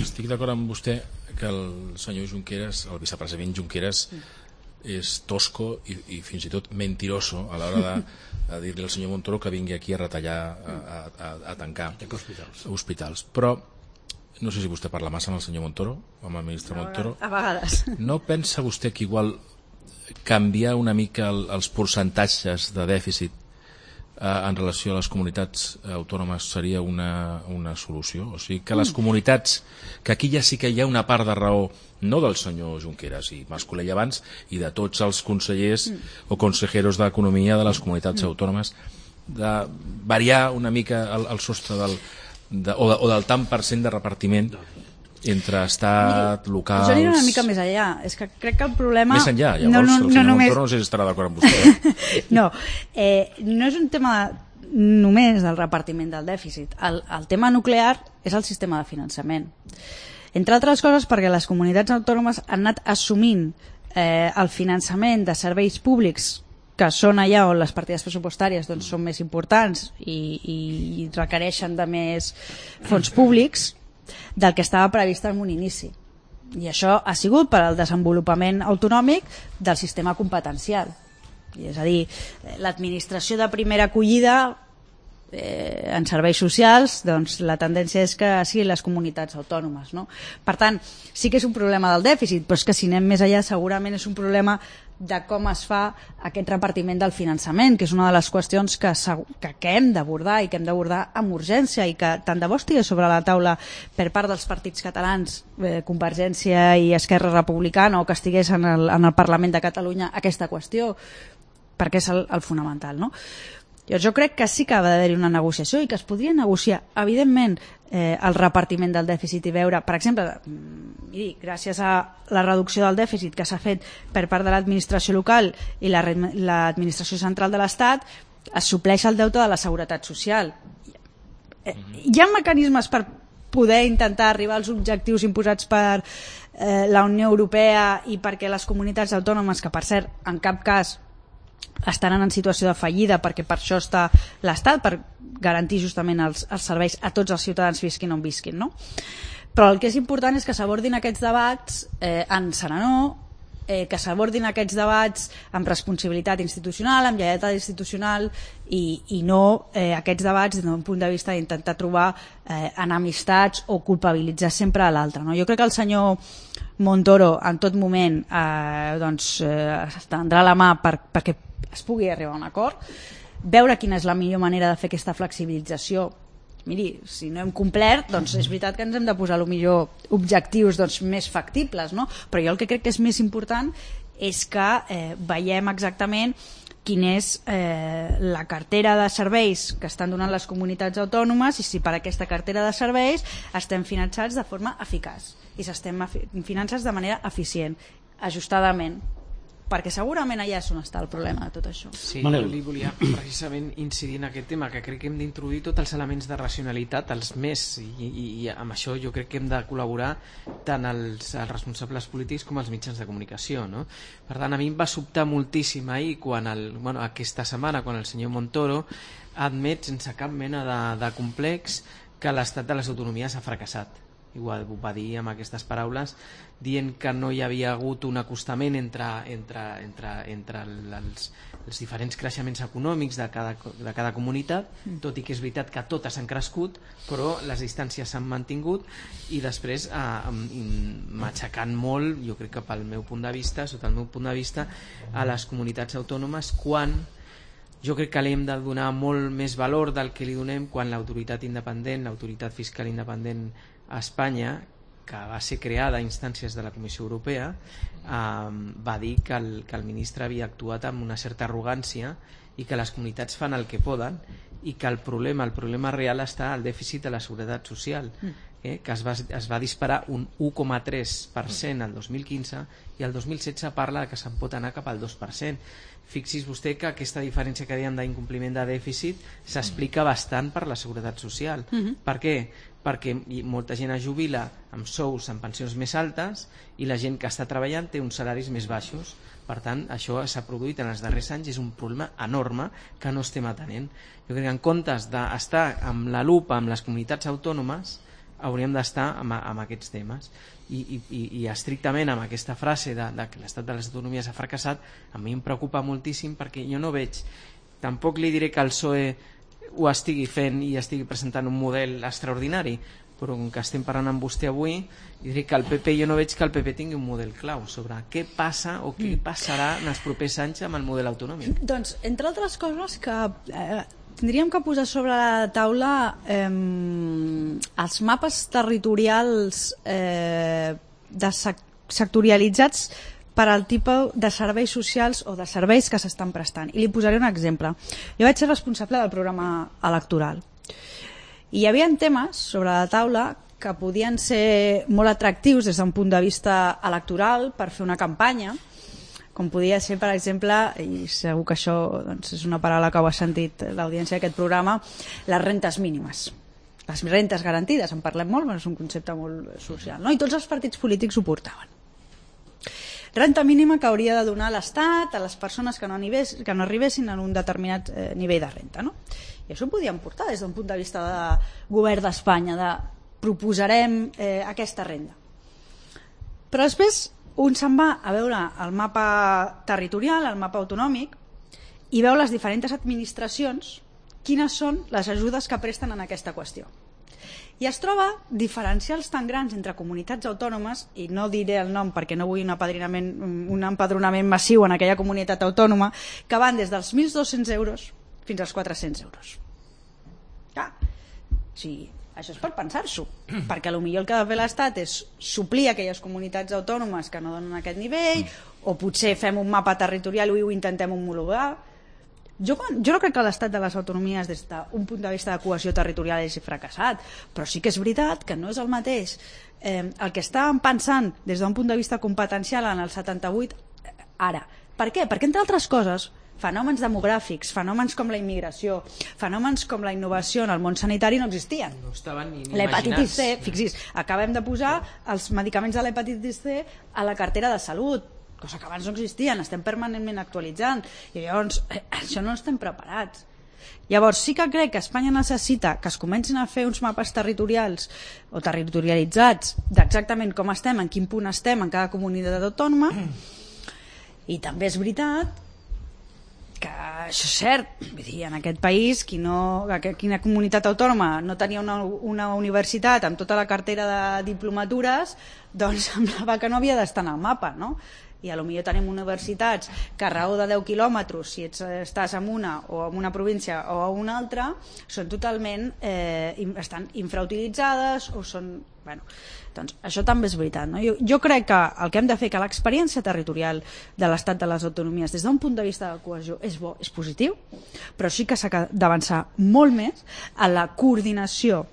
estic d'acord amb vostè que el senyor Junqueras, el vicepresident Junqueras, és tosco i fins i tot mentiroso a l'hora de dir-li al senyor Montoro que vingui aquí a retallar, a tancar hospitals. Però no sé si vostè parla massa amb el senyor Montoro, amb el ministre Montoro. A vegades. No pensa vostè que igual canviar una mica els percentatges de dèficit en relació a les comunitats autònomes seria una solució? O sigui, que les comunitats, que aquí ja sí que hi ha una part de raó, no del senyor Junqueras i Mas-Colell abans, i de tots els consellers o consejeros d'Economia de les comunitats autònomes, de variar una mica el sostre o del tant per cent de repartiment entre estat, locals... Jo aniré una mica més enllà. És que crec que el problema... Més enllà, llavors el senyor Montoro no sé si estarà d'acord amb vostè. No és un tema només del repartiment del dèficit. El tema nuclear és el sistema de finançament. Entre altres coses perquè les comunitats autònomes han anat assumint el finançament de serveis públics que són allà on les partides pressupostàries doncs, són més importants i requereixen de més fons públics del que estava previst en un inici. I això ha sigut per al desenvolupament autonòmic del sistema competencial. És a dir, l'administració de primera acollida en serveis socials, doncs la tendència és que siguin les comunitats autònomes. No? Per tant, sí que és un problema del dèficit, però és que si anem més allà segurament és un problema de com es fa aquest repartiment del finançament, que és una de les qüestions que hem d'abordar i que hem d'abordar amb urgència i que tant de bo estigui sobre la taula per part dels partits catalans, Convergència i Esquerra Republicana, o que estigués en el Parlament de Catalunya aquesta qüestió, perquè és el fonamental, no? Jo crec que sí que ha d'haver-hi una negociació i que es podria negociar, evidentment, el repartiment del dèficit i veure, per exemple, gràcies a la reducció del dèficit que s'ha fet per part de l'administració local i l'administració central de l'Estat, es supleix el deute de la Seguretat Social. Hi ha mecanismes per poder intentar arribar als objectius imposats per la Unió Europea i perquè les comunitats autònomes, que per cert, en cap cas estaran en situació de fallida, perquè per això està l'Estat, per garantir justament els serveis a tots els ciutadans visquin on visquin, no? Però el que és important és que s'abordin aquests debats en serenor, que s'abordin aquests debats amb responsabilitat institucional, amb lleialtat institucional i no aquests debats des d'un punt de vista d'intentar trobar enemistats o culpabilitzar sempre a l'altre, no? Jo crec que el senyor Montoro en tot moment estendrà la mà perquè es pugui arribar a un acord, veure quina és la millor manera de fer aquesta flexibilització. Miri, si no hem complert, doncs és veritat que ens hem de posar millor objectius més factibles, no? Però jo el que crec que és més important és que veiem exactament quina és la cartera de serveis que estan donant les comunitats autònomes i si per aquesta cartera de serveis estem finançats de forma eficaç i s'estem finançats de manera eficient. ajustadament, perquè segurament allà és on està el problema de tot això. Sí, Manel. jo li volia precisament incidir en aquest tema, que crec que hem d'introduir tots els elements de racionalitat, els més, i amb això jo crec que hem de col·laborar tant els responsables polítics com els mitjans de comunicació, no? Per tant, a mi em va sobtar moltíssim ahir, aquesta setmana, quan el senyor Montoro admet sense cap mena de complex que l'estat de les autonomies ha fracassat. Igual ho va dir amb aquestes paraules, dient que no hi havia hagut un acostament entre els diferents creixements econòmics de cada comunitat, tot i que és veritat que totes han crescut, però les distàncies s'han mantingut, i després matxacant molt, jo crec que pel meu punt de vista, sota el meu punt de vista, a les comunitats autònomes, quan jo crec que li hem de donar molt més valor del que li donem quan l'autoritat independent, l'autoritat fiscal independent a Espanya, que va ser creada a instàncies de la Comissió Europea, va dir que el ministre havia actuat amb una certa arrogància i que les comunitats fan el que poden, i que el problema real està al dèficit de la seguretat social, que es va disparar un 1,3% el 2015, i el 2016 parla que se'n pot anar cap al 2%. Fixi's vostè que aquesta diferència que dèiem d'incompliment de dèficit s'explica bastant per la seguretat social. Per què? Perquè molta gent es jubila amb sous, amb pensions més altes, i la gent que està treballant té uns salaris més baixos. Per tant, això s'ha produït en els darrers anys, és un problema enorme que no estem atenent. Jo crec que en comptes d'estar amb la lupa amb les comunitats autònomes, hauríem d'estar amb aquests temes, i estrictament amb aquesta frase de que l'estat de les autonomies ha fracassat, a mi em preocupa moltíssim, perquè jo no veig, tampoc li diré que el PSOE ho estigui fent i estigui presentant un model extraordinari, però com que estem parlant amb vostè avui, diré que el PP, jo no veig que el PP tingui un model clau sobre què passa o què passarà en els propers anys amb el model autonòmic. Doncs, entre altres coses, que tindríem que posar sobre la taula els mapes territorials sectorialitzats per al tipus de serveis socials o de serveis que s'estan prestant. I li posaré un exemple. Jo vaig ser responsable del programa electoral. I hi havia temes sobre la taula que podien ser molt atractius des d'un punt de vista electoral per fer una campanya, com podia ser, per exemple, i segur que això és una paraula que ho ha sentit l'audiència d'aquest programa, les rentes mínimes. Les rentes garantides, en parlem molt, però és un concepte molt social, no? I tots els partits polítics ho portaven. Renta mínima que hauria de donar l'Estat a les persones que no arribessin a un determinat nivell de renta, no? I això ho podíem portar des d'un punt de vista de govern d'Espanya, de proposarem aquesta renda. Però després un se'n va a veure el mapa territorial, el mapa autonòmic, i veu les diferents administracions quines són les ajudes que presten en aquesta qüestió. I es troba diferencials tan grans entre comunitats autònomes, i no diré el nom perquè no vull un empadronament massiu en aquella comunitat autònoma, que van des dels 1.200 euros fins als 400 euros. Clar, sí, això és per pensar-s'ho, perquè potser el que ha de fer l'Estat és suplir aquelles comunitats autònomes que no donen aquest nivell, o potser fem un mapa territorial i ho intentem homologar. Jo no crec que l'estat de les autonomies des d'un punt de vista de cohesió territorial hagi fracassat, però sí que és veritat que no és el mateix el que estàvem pensant des d'un punt de vista competencial en el 78 ara. Per què? Perquè, entre altres coses, fenòmens demogràfics, fenòmens com la immigració, fenòmens com la innovació en el món sanitari no existien. No estaven ni l'hepatitis C, imaginats. fixis, acabem de posar els medicaments de l'hepatitis C a la cartera de salut, cosa que abans no existien, estem permanentment actualitzant, i llavors això no estem preparats. Llavors sí que crec que Espanya necessita que es comencin a fer uns mapes territorials o territorialitzats d'exactament com estem, en quin punt estem en cada comunitat autònoma, i també és veritat que això és cert, vull dir, en aquest país quina comunitat autònoma no tenia una universitat amb tota la cartera de diplomatures, doncs semblava que no havia d'estar en el mapa, no? I potser tenim universitats que a raó de 10 quilòmetres, si estàs en una o en una província o en una altra, són totalment estan infrautilitzades o són... Bueno, doncs això també és veritat, no? Jo crec que el que hem de fer, que l'experiència territorial de l'estat de les autonomies des d'un punt de vista de cohesió és bo, és positiu, però sí que s'ha d'avançar molt més en la coordinació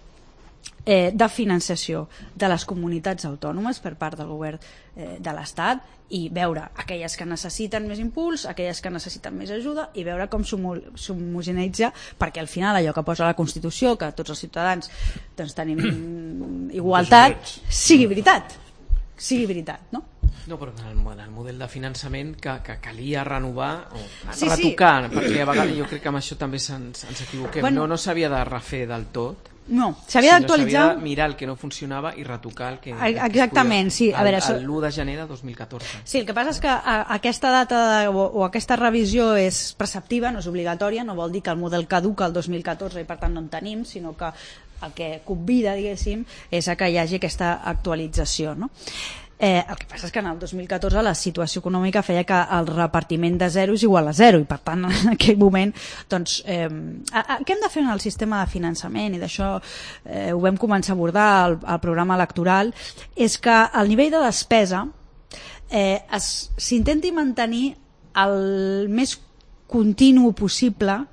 de finançació de les comunitats autònomes per part del govern de l'Estat i veure aquelles que necessiten més impuls, aquelles que necessiten més ajuda i veure com s'homogeneitza, perquè al final allò que posa la Constitució, que tots els ciutadans doncs, tenim igualtat, sigui veritat, no? No, però en el model de finançament que calia renovar o retocar, perquè a vegades jo crec que amb això també ens equivoquem. No s'havia de refer del tot. No, s'havia d'actualitzar... S'havia de mirar el que no funcionava i retocar el que... Exactament, sí. L'1 de gener de 2014. Sí, el que passa és que aquesta data o aquesta revisió és preceptiva, no és obligatòria, no vol dir que el model caduca el 2014 i per tant no en tenim, sinó que el que convida, diguéssim, és a que hi hagi aquesta actualització, no? El que passa és que en el 2014 la situació econòmica feia que el repartiment de 0 és igual a 0 i per tant en aquell moment doncs, què hem de fer en el sistema de finançament i d'això ho vam començar a abordar al programa electoral, és que el nivell de despesa s'intenti mantenir el més continu possible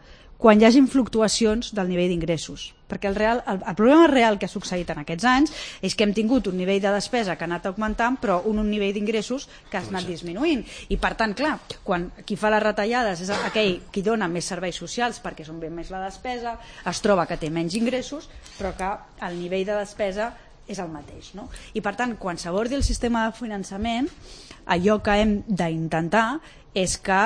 quan hi hagin fluctuacions del nivell d'ingressos, perquè el problema real que ha succeït en aquests anys és que hem tingut un nivell de despesa que ha anat augmentant però un nivell d'ingressos que ha anat disminuint i per tant, clar, quan qui fa les retallades és aquell qui dona més serveis socials perquè són ben més la despesa, es troba que té menys ingressos però que el nivell de despesa és el mateix, no? I per tant, quan s'abordi el sistema de finançament, allò que hem d'intentar és que,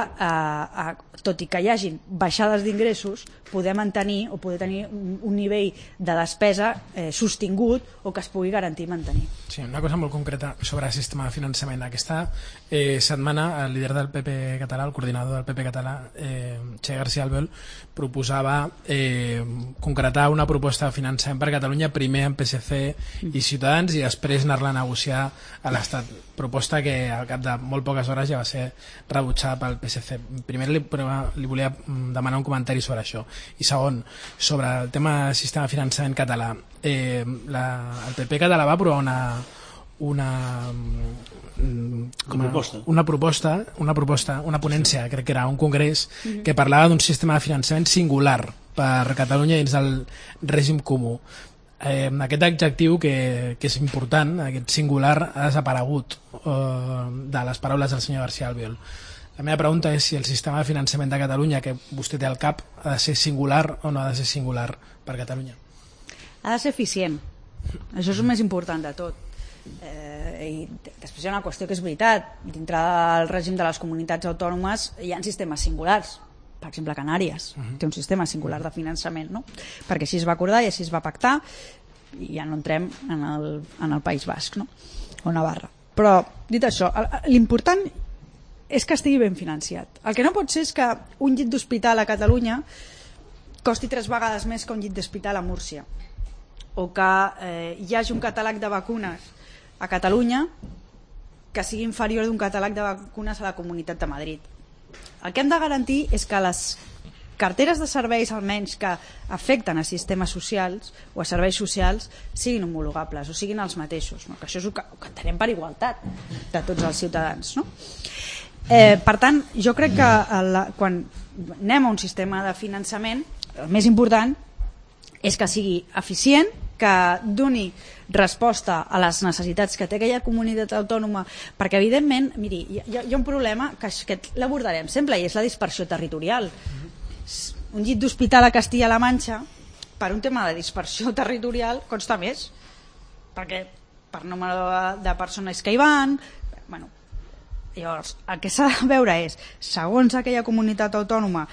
tot i que hi hagin baixades d'ingressos, poder mantenir o poder tenir un nivell de despesa sostingut o que es pugui garantir mantenir. Sí, una cosa molt concreta sobre el sistema de finançament. Aquesta setmana el líder del PP català, el coordinador del PP català, Che García Albiol, proposava concretar una proposta de finançament per Catalunya primer amb PSC i Ciutadans i després anar-la a negociar a l'Estat. Proposta que al cap de molt poques hores ja va ser rebutjada pel PSC. Primer li volia demanar un comentari sobre això. I segon, sobre el tema del sistema de finançament català. El PP català va aprovar una ponència, crec que era un congrés, que parlava d'un sistema de finançament singular per Catalunya dins del règim comú. Aquest adjectiu que és important, aquest singular, ha desaparegut de les paraules del senyor García Albiol. La meva pregunta és si el sistema de finançament de Catalunya que vostè té al cap ha de ser singular o no ha de ser singular per Catalunya. Ha de ser eficient. Això és el més important de tot. I després hi ha una qüestió que és veritat. Dintre del règim de les comunitats autònomes hi ha sistemes singulars. Per exemple, Canàries té un sistema singular de finançament, no? Perquè així es va acordar i així es va pactar i ja no entrem en el País Basc, no? O Navarra. Però, dit això, l'important és que estigui ben financiat. El que no pot ser és que un llit d'hospital a Catalunya costi 3 vegades més que un llit d'hospital a Múrcia, o que hi hagi un catàleg de vacunes a Catalunya que sigui inferior d'un catàleg de vacunes a la Comunitat de Madrid. El que hem de garantir és que les carteres de serveis, almenys que afecten a sistemes socials o a serveis socials, siguin homologables o siguin els mateixos, no? Que això és el que entenem per igualtat de tots els ciutadans, no? Per tant, jo crec que quan anem a un sistema de finançament, el més important és que sigui eficient, que doni resposta a les necessitats que té aquella comunitat autònoma, perquè evidentment, miri, hi ha un problema que l'abordarem sempre i és la dispersió territorial. Un llit d'hospital a Castilla-La Manxa, per un tema de dispersió territorial, costa més, perquè per número de persones que hi van, bueno, llavors el que s'ha de veure és, segons aquella comunitat autònoma,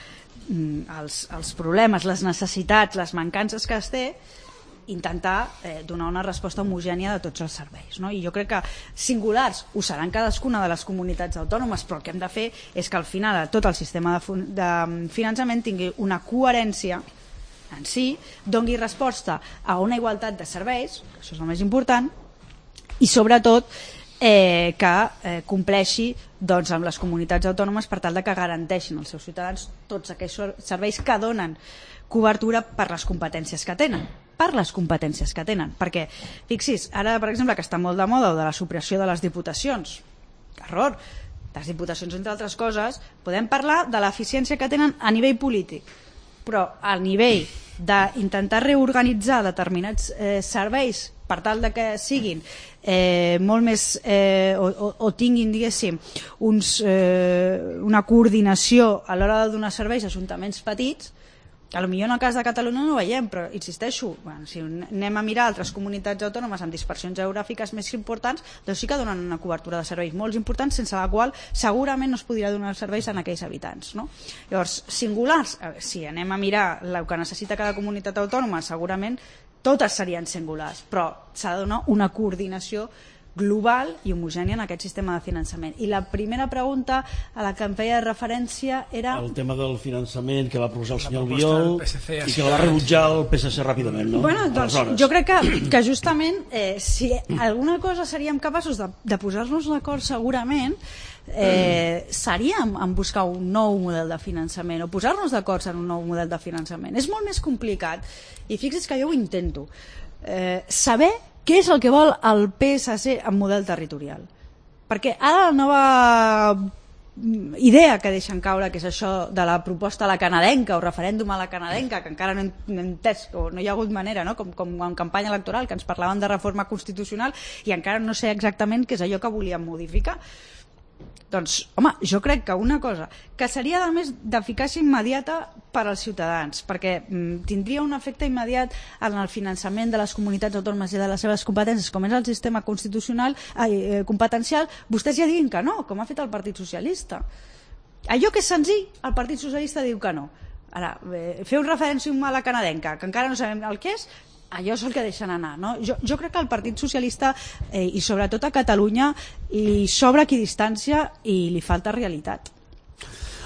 els problemes, les necessitats, les mancances que es té, intentar donar una resposta homogènia de tots els serveis, no? I jo crec que singulars ho seran cadascuna de les comunitats autònomes, però el que hem de fer és que al final tot el sistema de finançament tingui una coherència en si, doni resposta a una igualtat de serveis, això és el més important, i sobretot que compleixi doncs, amb les comunitats autònomes per tal de que garanteixin als seus ciutadans tots aquells serveis que donen cobertura per les competències que tenen, perquè fixis, ara per exemple que està molt de moda de la supressió de les diputacions, error, les diputacions entre altres coses podem parlar de l'eficiència que tenen a nivell polític, però al nivell d'intentar reorganitzar determinats serveis per tal de que siguin molt més o tinguin, diguéssim, una coordinació a l'hora de donar serveis a ajuntaments petits, potser en el cas de Catalunya no ho veiem, però insisteixo, si anem a mirar altres comunitats autònomes amb dispersions geogràfiques més importants, doncs sí que donen una cobertura de serveis molt importants, sense la qual segurament no es podria donar serveis a aquells habitants, no? Llavors, singulars, si anem a mirar el que necessita cada comunitat autònoma, segurament totes serien singulars, però s'ha de donar una coordinació global i homogènia en aquest sistema de finançament. I la primera pregunta a la que em feia referència era... El tema del finançament que va proposar el senyor Albiol i que va rebutjar el PSC ràpidament, no? Bueno, doncs jo crec que justament si alguna cosa seríem capaços de posar-nos d'acord segurament seríem en buscar un nou model de finançament o posar-nos d'acord en un nou model de finançament. És molt més complicat i fixi's que jo ho intento saber què és el que vol el PSC en model territorial, perquè ara la nova idea que deixen caure, que és això de la proposta a la canadenca o referèndum a la canadenca, que encara no hem entès o no hi ha hagut manera, no? Com en campanya electoral, que ens parlaven de reforma constitucional i encara no sé exactament què és allò que volien modificar. Doncs, home, jo crec que una cosa que seria a més d'eficàcia immediata per als ciutadans, perquè tindria un efecte immediat en el finançament de les comunitats autònomes i de les seves competències, com és el sistema constitucional competencial, vostès ja diguin que no, com ha fet el Partit Socialista. Allò que és senzill, el Partit Socialista diu que no. Ara, fer un referèndum a la canadenca, que encara no sabem el que és, allò és el que deixen anar, no? Jo crec que el Partit Socialista i sobretot a Catalunya li sobra equidistància i li falta realitat.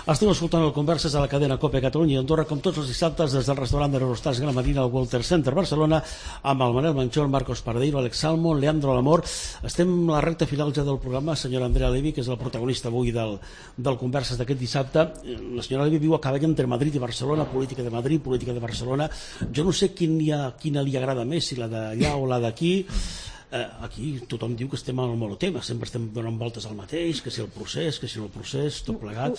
Estem escoltant el Converses a la cadena COPE Catalunya i Andorra, com tots els dissabtes, des del restaurant de l'Eurostars Gramadina al Walter Center Barcelona, amb el Manel Manchón, Marcos Paradeiro, Alex Salmon, Leandro Lamor. Estem a la recta final ja del programa. Senyora Andrea Levy, que és la protagonista avui del Converses d'aquest dissabte. La senyora Levy viu a cavall entre Madrid i Barcelona, política de Madrid, política de Barcelona. Jo no sé quina li agrada més, si la d'allà o la d'aquí. Aquí tothom diu que estem al monotema, sempre estem donant voltes al mateix, que si el procés, tot plegat.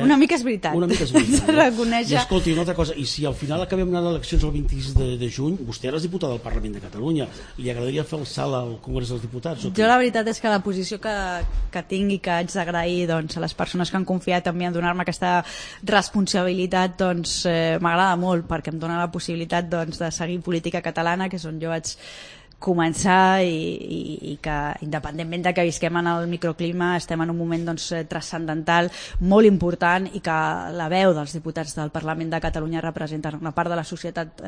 Una mica és veritat. Una mica és veritat. Reconèixer. I escolti, una altra cosa, i si al final acabem anant a eleccions el 26 de juny, vostè era diputat del Parlament de Catalunya, li agradaria fer el salt al Congrés dels Diputats? Jo la veritat és que la posició que tinc i que haig d'agrair doncs, a les persones que han confiat en mi en donar-me aquesta responsabilitat doncs, m'agrada molt, perquè em dona la possibilitat doncs, de seguir política catalana, que és on jo vaig començar i que independentment de que visquem en el microclima estem en un moment doncs, transcendental molt important i que la veu dels diputats del Parlament de Catalunya representen una part de la societat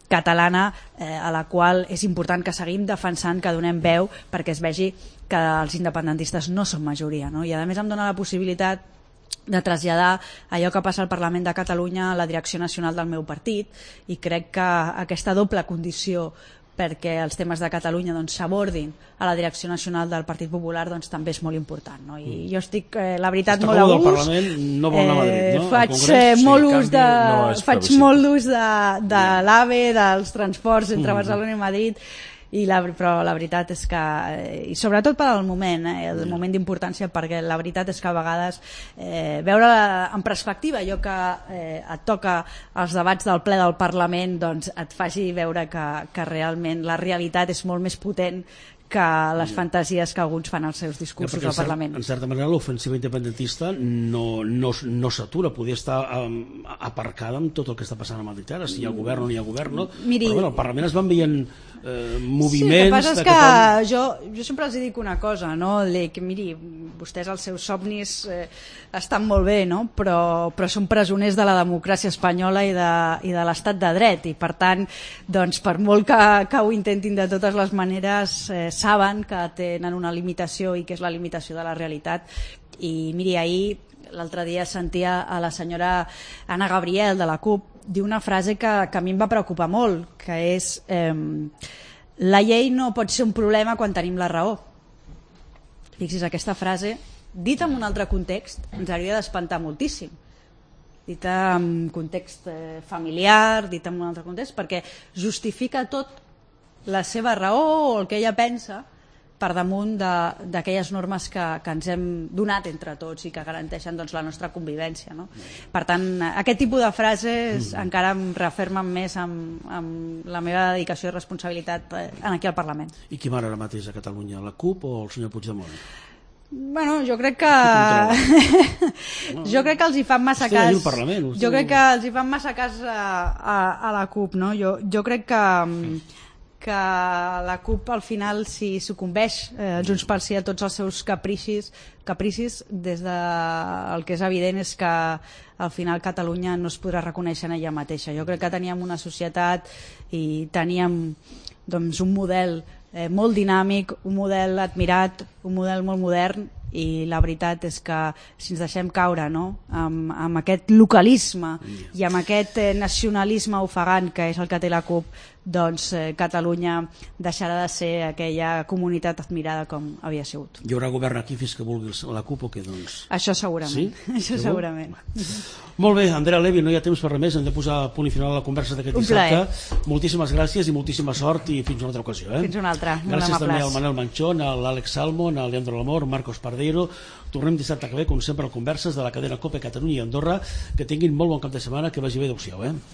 catalana a la qual és important que seguim defensant, que donem veu perquè es vegi que els independentistes no són majoria, no? I a més em dona la possibilitat de traslladar allò que passa al Parlament de Catalunya a la direcció nacional del meu partit i crec que aquesta doble condició perquè els temes de Catalunya doncs, s'abordin a la direcció nacional del Partit Popular doncs, també és molt important, no? I jo estic, la veritat, molt a gust. No vol anar a Madrid, no? Faig molt ús de l'AVE, dels transports entre Barcelona i Madrid, però la veritat és que, i sobretot per al moment, el moment d'importància, perquè la veritat és que a vegades veure en perspectiva allò que et toca als debats del ple del Parlament doncs et faci veure que realment la realitat és molt més potent que les fantasies que alguns fan als seus discursos al Parlament. En certa manera l'ofensiva independentista no s'atura, podria estar aparcada amb tot el que està passant a Madrid ara, si hi ha govern o no hi ha govern, no? Però bueno, al Parlament es van veient moviments... Sí, el que passa és que jo sempre els dic una cosa, no? Que miri, vostès els seus somnis estan molt bé, no? Però són presoners de la democràcia espanyola i de l'estat de dret, i per tant, doncs, per molt que ho intentin de totes les maneres, saben que tenen una limitació i que és la limitació de la realitat. I miri, ahir, l'altre dia sentia a la senyora Anna Gabriel de la CUP dir una frase que a mi em va preocupar molt, que és la llei no pot ser un problema quan tenim la raó. Fixis, aquesta frase, dita en un altre context, ens hauria d'espantar moltíssim. Dita en context familiar, dita en un altre context, perquè justifica tot la seva raó o el que ella pensa per damunt d'aquelles normes que ens hem donat entre tots i que garanteixen doncs, la nostra convivència, no? Per tant, aquest tipus de frases encara em refermen més amb la meva dedicació i responsabilitat aquí al Parlament. I qui mana ara mateix a Catalunya, la CUP o el senyor Puigdemont? Bueno, jo crec que els hi fan massa cas. Jo crec que els hi fan massa cas a la CUP, no? Jo crec que la CUP al final si sucumbeix Junts pel Sí a tots els seus capricis des el que és evident és que al final Catalunya no es podrà reconèixer en ella mateixa. Jo crec que teníem una societat i teníem doncs, un model molt dinàmic, un model admirat, un model molt modern, i la veritat és que si ens deixem caure, no? amb aquest localisme i amb aquest nacionalisme ofegant que és el que té la CUP, doncs Catalunya deixarà de ser aquella comunitat admirada com havia sigut. Hi haurà govern aquí fins que vulgui la CUP o què, doncs? Això segurament. Sí? Això segurament. Molt bé, Andrea Levy, no hi ha temps per res més, hem de posar punt i final a la conversa d'aquest dissabte. Moltíssimes gràcies i moltíssima sort i fins una altra ocasió. Fins una altra. Gràcies també al Manel Manchón, a l'Àlex Salmon, al Leandro Lamor, Marcos Pardeiro. Tornem dissabte que ve, com sempre, a Converses de la cadena COPE Catalunya i Andorra. Que tinguin molt bon cap de setmana, que vagi bé, adeu-siau.